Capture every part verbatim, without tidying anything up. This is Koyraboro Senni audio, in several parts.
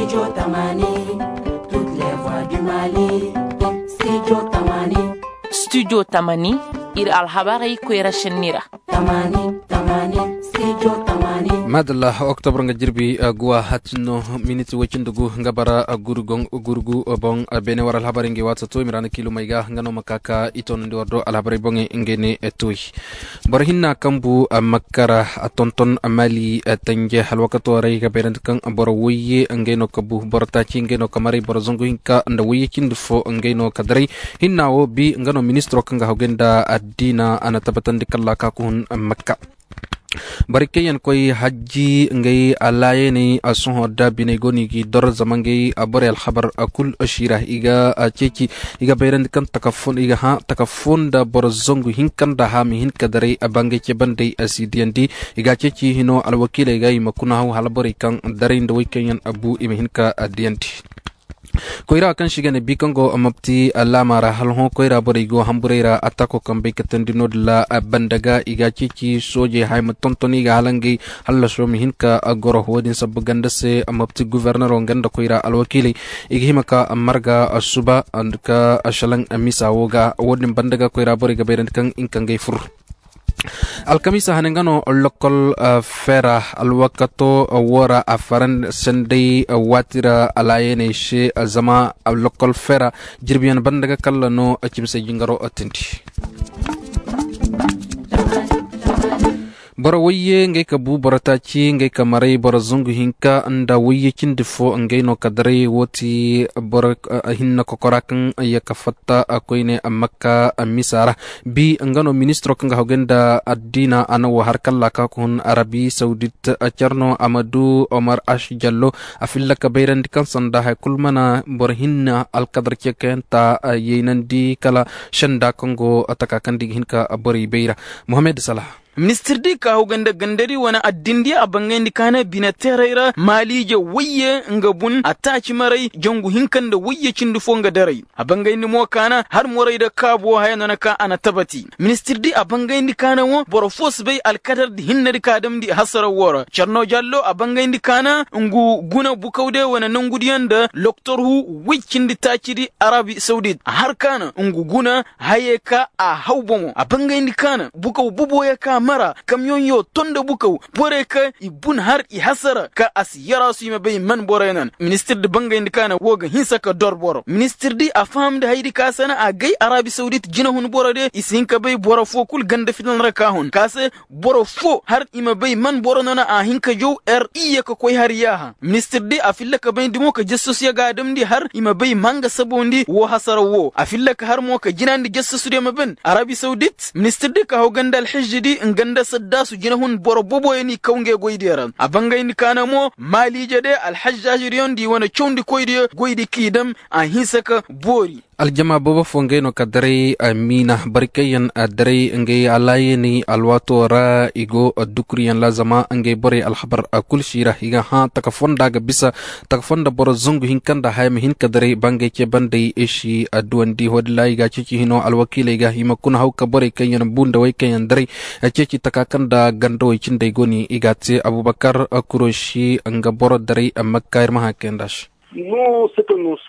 Studio tamani, studio tamani, ir alhabarey koyra šenni ra. Madalla, oktobor nga jirbi guwa hatinno, miniti woy cindi gu nga bara gurgu boŋ. Beene war alhabarey nga i waati to i ma ra na kiilumey ga nga no ma ka ka i toonandi war do alhabarey boŋey nga ne. Toy boro hinna kaŋ bu makka ra, tonton mali tanje alwakato ra i ga bayrandi kaŋ boro woyye ngey no ka bu boro taaci ngey no ka maray boro zangu hinka nda woyye cindi fo ngey no ka daray. Hinna wo bi nga no ministiro kaŋ ga hawgay nda addiina a na tabbatandi kalla ka ka hun makka. Borey kaŋ yaŋ koy hajji ngey alaayaney a sohõ da biney go no i g'i dor zama ngey borey alhabar kul siira i ga ceeci. I ga bayrandi kaŋ taka fo nda boro zangu hinka nda hã ma hin ka daray bangey ce bandey a si diyandi. I ga ceeci hino alwakiiley ga i ma kuna haw hala borey kaŋ daray nda woy kaŋ yaŋ bu i ma hin ka diyandi. Koyra kaŋ se i ga ne bi kaŋ go mopti laama ra hala hõ koyra borey go hamburey ra attaako kaŋ bay katandi no-din ra. Banda ga i ga ceeci soojey haya ma tonton i ga hala ngey hallaso ma hin ka goro wo-din sabbu ganda se mopti gufornero nga nda koyra alwakiiley i ga hima ka marga suba ka salaŋ misa wo ga wo-din banda ga koyra borey ga bayrandi kaŋ i na kangey fur. Alkamiisa hane nga no lokol feera alwakato wo ra a faran senday waati ra alaayaney se zama lokol feera jirbiyaŋ banda ga kalla no cimse jingaro tindi. Boro woyye ngey ka bu boro taaci ngey ka maray boro zangu hinka nda woyye cindi fo ngey no ka daray wo ti boro hinne kokora kaŋ ya ka fatta koyne makka misa ra. Bi nga no ministiro kaŋ ga hawgay nda addiina a na wo har kalla ka ka hun arabi sawdit. Care no a ma du omar ash jallo a filla ka bayrandi kaŋ sanda haya kulu mana boro hinne alkadar ceekayanta yaynandi kala senda kaŋ go taka kaŋ da i ga hin ka borey bayra. Muhammed salaha. Ministir di ka hawgay nda gandari wane addin di a bangayndi ka na bine teeray ra maaliije wayye nga bun a taaci maray jangu hinka nda wayye cindi fo nga daray. A bangayndi mo ka na har moray da kaabo haya no na ka a na tabati. Ministir di a bangayndi ka na wo boro fo si bay alkadar di hinne di ka damndi hasara wo ra carno jallo a bangayndi ka na ngu guna bukaw de wane nangu diyaŋ nda loktor hu way cindi taaci di arabi sawdit a har ka na ngu guna hayey ka a haw bomo a bangayndi ka na bukaw boboyo ka mara kamyoŋyo to nda bukaw borey ka i bun har i hasara ka a si yaraasu i ma bay man boroyo nan ministir di bangayndi ka na wo ga hinsa ka dor boro ministir di a fahamndi haydi ka sana a gay arabi sawdit jinahun boro de i si hin ka bay boro fo kul ganda filan ra ka hun ka se boro fo har i ma bay man boro no na a hin ka jaw er iyye ka koy har yaaha ministir di a filla ka bayndi mo ka jasasuyo ga a damndi har i ma bay ma nga sabawndi woo hasaraw woo a filla ka har mo ka jinaandi jasasudiyo ma ban arabi sawdit ministir di ka haw ganda alhijji di nga nda saddaasu jinahun boro boboyo n'i kaw ngey goydiyo ra a bangayndi ka na mo maaliije de alhajjaajidiyo nda i wane cawndikoydiyo goydi k'i dam a hinsa ka boori. Aljama boobo fo ngey no ka daray miina bari kaŋ yaŋ daray ngey alaayaney alwaato ra i go dukuriyaŋ ra zama ngey borey alhabar kul si ra i ga hã taka fonda ga bisa taka fonda boro zangu hinka nda haya ma hin ka daray ba ngey ce banday i si duwandi wo-din ra i ga a ceeci hino alwakiiley ga i ma kuna haw ka borey kaŋ yaŋ bu nda wey kaŋ yaŋ daray ceeci taka kaŋ nda gandawey cindey go no i ga a te abubakar kurosi nga boro daray amma ka ir ma hã kay nd'a se.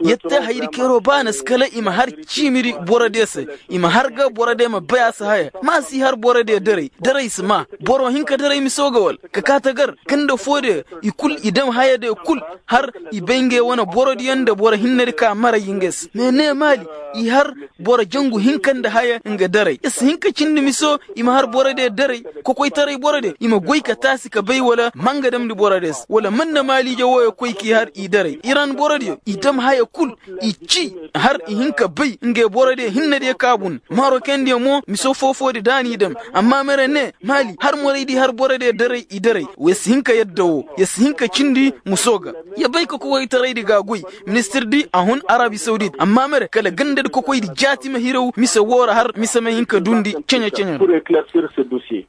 Yette hayri keeroo ba na si kala i ma har ciimiri borodiyo se i ma har ga borodiyo ma bay a si haya ma si har borodiyo daray daray si maa boro hinka daray miso ga wal ka kaa tagar ka nda foodiyo i kul i dam hayadiyo kul har i bay ngey wane borodiyo nda boro hinnedi ka maray ngey se mais ne maali i har boro jangu hinka nda haya nga daray i si hin ka cindi miso i ma har borodiyo daray kokoytaray borodiyo i ma goy ka taasi ka bay wala ma nga damndi borodiyo se wala man na maaliije wooyo koy k'i har i daray iran borodiyo i dam haya kul i ci har i hin ka bay ngey borodiyo hinnediyo ka bun marokendiyo mo miso foofoodi da n'i dam amma mere ne maali har moraydi har borodiyo daray i daray ya si hin ka yadda woo ya si hin ka cindi miso ga ya bay ka kokoytaraydi ga a goy ministir di a hun arabi sawdit amma mere kala gandadi kokoydi jaati ma hiraw mise woo ra har mise ma hin ka duundi ceɲe-ceɲe ra.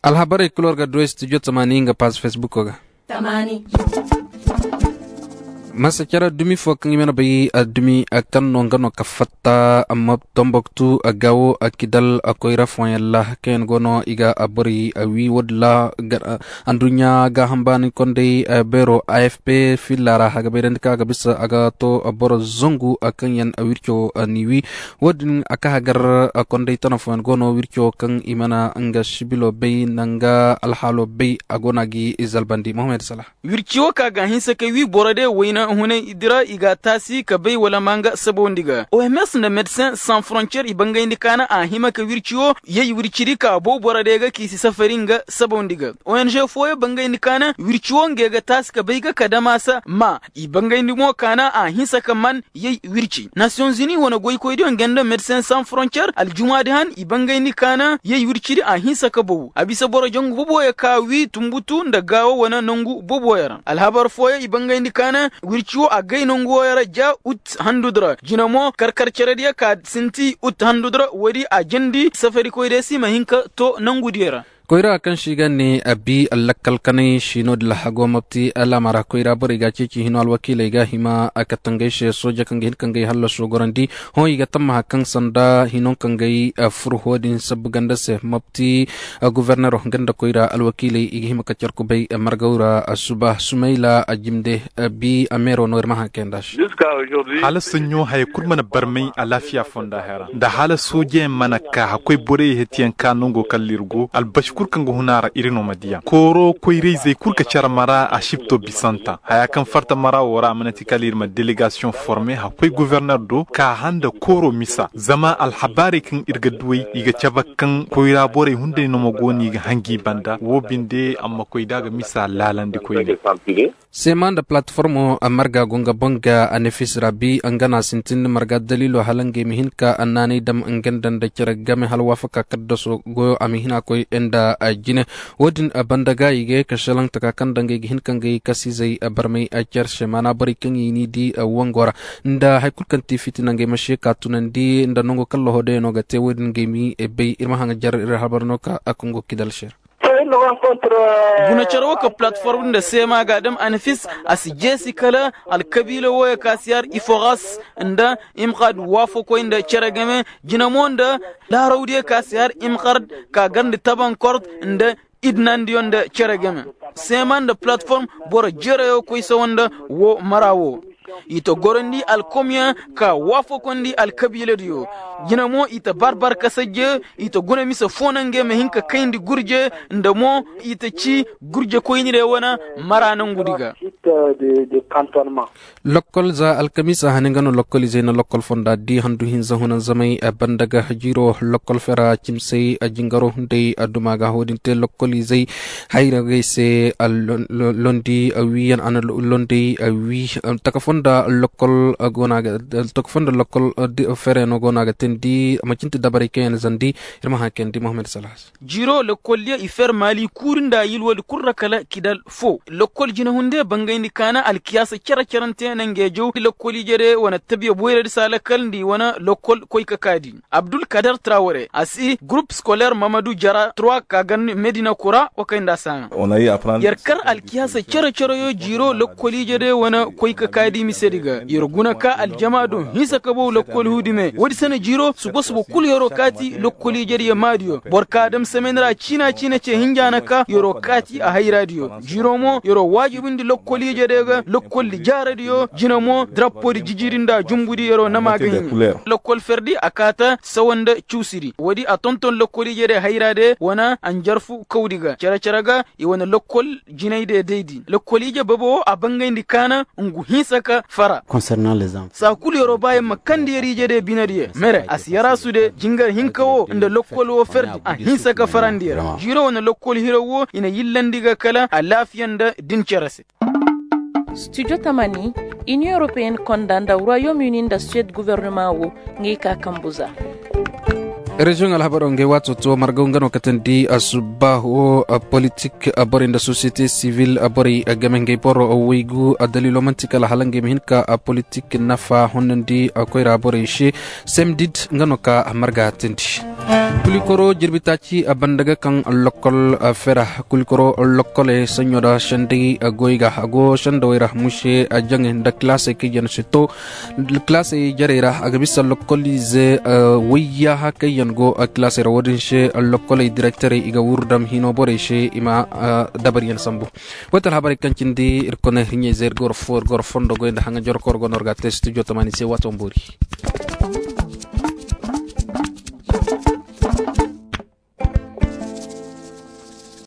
Alhabarey kul war ga du studio tamaani nga paaz fesbuko ga. Masa care dumi fo kaŋ i mana bay dumi kaŋ no nga no ka fatta amma tomboktu gawo kidal koyra fooyaŋ ra kaŋ yaŋ go no i ga borey wi wo- din ra. Adduɲɲa gaaham baani kondey beero afp filla ra a ga bayrandi kaŋ a ga bisa a ga to boro zangu kaŋ yaŋ wirco ni wi. Wo- din a ka hagar kondey tana fooyaŋ go no wirco kaŋ i mana nga sibilo bay nda nga alhaalo bay a go no a ga i zalbandi muhammad sala. Wirci wo ka ga a hinsa ka wi boro de wayna hunay di ra i ga a taasi ka bay wala ma nga sabawndi ga oms nda medecin sans frontier i bangayndi kaana a hima ka wirci wo yay wirci di ka bow boro de ga ka i si safari nga sabawndi ga. Ong fooyaŋ bangayndi kaana wirci wo ngey ga taasi ka bay ga ka damaasa ma i bangayndi mo kaana a hinsa ka man yay wirci nasiyonzini wane goykoydiyo nga nda medecin sans frontier aljumaadi han i bangayndi kaana yay wirci di a hinsa ka bow a bisa boro jangu boboyo ka wi tumbutu nda gaawo wane nangu boboyo ra alhabar fooyaŋ i bangayndi kaana wirci wo a gay nangu wooyo ra ja ut handudi ra jina mo karkar cerediyo ka sinti ut handudi ra woodi a jandi safarikoydiyo se i ma hin ka to nangudiyo ra. Koyra kaŋ se i ga ne a bi lakkal kanay si no- din lahago mabti alaama ra koyra borey ga a ceeci hino alwakiiley ga a hima a katangey se sooja kaŋ ga hin ka ngey hallaso gorandi. Hõ i ga tammaha kaŋ sanda hino kaŋ ga ay furho din sabbu ganda se mabti. Gofornero nga nda koyra alwakiiley i ga hima ka care kubay margaw ra suba sumayla a jimde. Bi a meero no ir ma haŋ kayanda se. Hala saɲɲo haya kul mana barmay alaafiya fonda haya ra nda hala soojeyaŋ mana ka hakkoy borey hetiyaŋ ka nango kala ir go albasi kul kaŋ ga hun a ra ir no ma diya kooro koyrayzey kul ka care mara a sibto bisanta haya kaŋ farta mara wo ra a mana ti kala ir ma delegasiyoŋ forme hakkoy goforner do ka handa kooro misa zama alhabaarey kaŋ ir ga duwey i ga cabe kaŋ koyra borey hunday no ma go no i ga hangi banda wo binde a ma koy da a ga misa laalandi koyne. Seema nda palateformo marga go nga boŋ ga anefis ra bi nga no a sintin marga daliilo hala ngey ma hin ka annaanay dam nga nda nda cere game hala waafaka kaddaso goyo a ma hin a koy nda jine. Wo- din banda ga i ga ye ka šelaŋ taka kaŋ nda ngey ga hin ka ngey kasiizey barmay care se maana borey kaŋ i n'i di wango ra nda hari kulu kaŋ ti fitina ngey ma se ka tunandi nda nango kaŋ lahoodayano ga te wo- din ngey m'i bay ir ma haŋ jar ir habar no ka a kongo kidal se ra. Guna care wo ka palateform nda seema ga a dam anafis a si jeesi kala alkabiila wooyo ka si har iforas nda imkad waafakoy nda cere game jina mo nda laarawdiyo ka si har imkad ka gar nda tabankort nda idnandiyo nda cere game seema nda palateform boro jereyo koy sawa nda woo mara woo. I ta gorandi alkomyaŋ ka waafakondi alkabiiladiyo jina mo i ta barbar kasajje i ta guna mise foo naŋ ngey ma hin ka kayndi gurje nda mo i ta ci gurjekoynire wane mara nangudi ga. Lokkol za alkamiisa hane nga no lokkol izey na lokkol fonda di handu hinza hunanzamey banda ga jiiro lokkol fera cimsey jingaro hunday duma ga wo- din te lokkol izey hayragey se. Londi wiyaŋ a na londi wi taka foo nda lokkol goona ga taka foo nda lokkol fereno goona ga teendi macinte dabarey kaŋ yaŋ zandi. Ir ma haŋ kayandi mohammed salahas. Jiro lokkoldiyo i fer maali kuuri nda yilwodi kul ra kala kidal foo lokkol jinahunde bangayndi kaana alkiyaasa cere-cerante na ngeejow lokkoliijediyo wane tabiya boyradi se a lakkal nda i wane lokkol koy ka kaadi. Abdul kadar traware a si gurup skoler mamadu jara trois ka gan medina kura wa kay nda a si haŋa. Yer kar alkiyaasa cere-cereyo jiro lokkoliijediyo wane koy ka kaadi misedi ga yer guna ka aljama do hinsa ka bow lokkol huudi me woodi se na jiro suba-suba kul yer'o kaati lokkoliijediyo maadiyo boro ka dam semen ra ciina-ciina ce hinja na ka yer'o kaati a hayraadiyo jiro mo yer'o waajibindi lokkoliijediyo ga lokkoldi jaaradiyo jina mo drappodi jijiri nda jumbudi yer'o nama ga hin. Lokkol ferdi a kaata sawa nda cuusidi woodi a tonton lokkoliijediyo hayraadiyo wane anjarfu kawdi ga cere-cere ga i wane lokkol jinaydiyo daydi lokkoliije baba wo a bangayndi kaana ngu hinsa ka fara. Saa kul yer'o ba yer ma kandi yer iijediyo binediyo mere a si yaraasude jingar hinka wo nda lokkol wo ferdi a hinsa ka farandi yer jiiro wane lokkol hiraw wo i na yillandi ga kala alaafiya nda din cere se. Studio tamani, inion europeen konda nda royaume uni nda suwed guvernema wo ngey ka kambu za. Reziyoŋ alhabaro ngey waato to margaw nga no katandi asubbaaho. Politik borey nda sosiyete sivil borey game ngey boro waygu daliilo man'ti kala hala ngey ma hin ka politik nafa honnandi koyra borey se. Semdid nga no ka marga tindi. Kulikoro jirbi taaci a banda ga kaŋ lokkol fera. Kulikoro lokkoley saɲɲo da sendey goy ga a go sendawey ra muse jaŋey nda kilaasey kaŋ yaŋ si to kilaasey jarey ra a ga bisa lokkolize wayyaha kaŋ yaŋ go kilaasey ra wo-din se. Lokkoley direkterey i ga wuru dam hino borey se i ma dabaryaŋ sambu. Koytal habarey kaŋ cindi ir kone hiɲey ze ir goro fondo goy nda haŋa jorokoro go no ir ga a te studio tamaani se waato boori.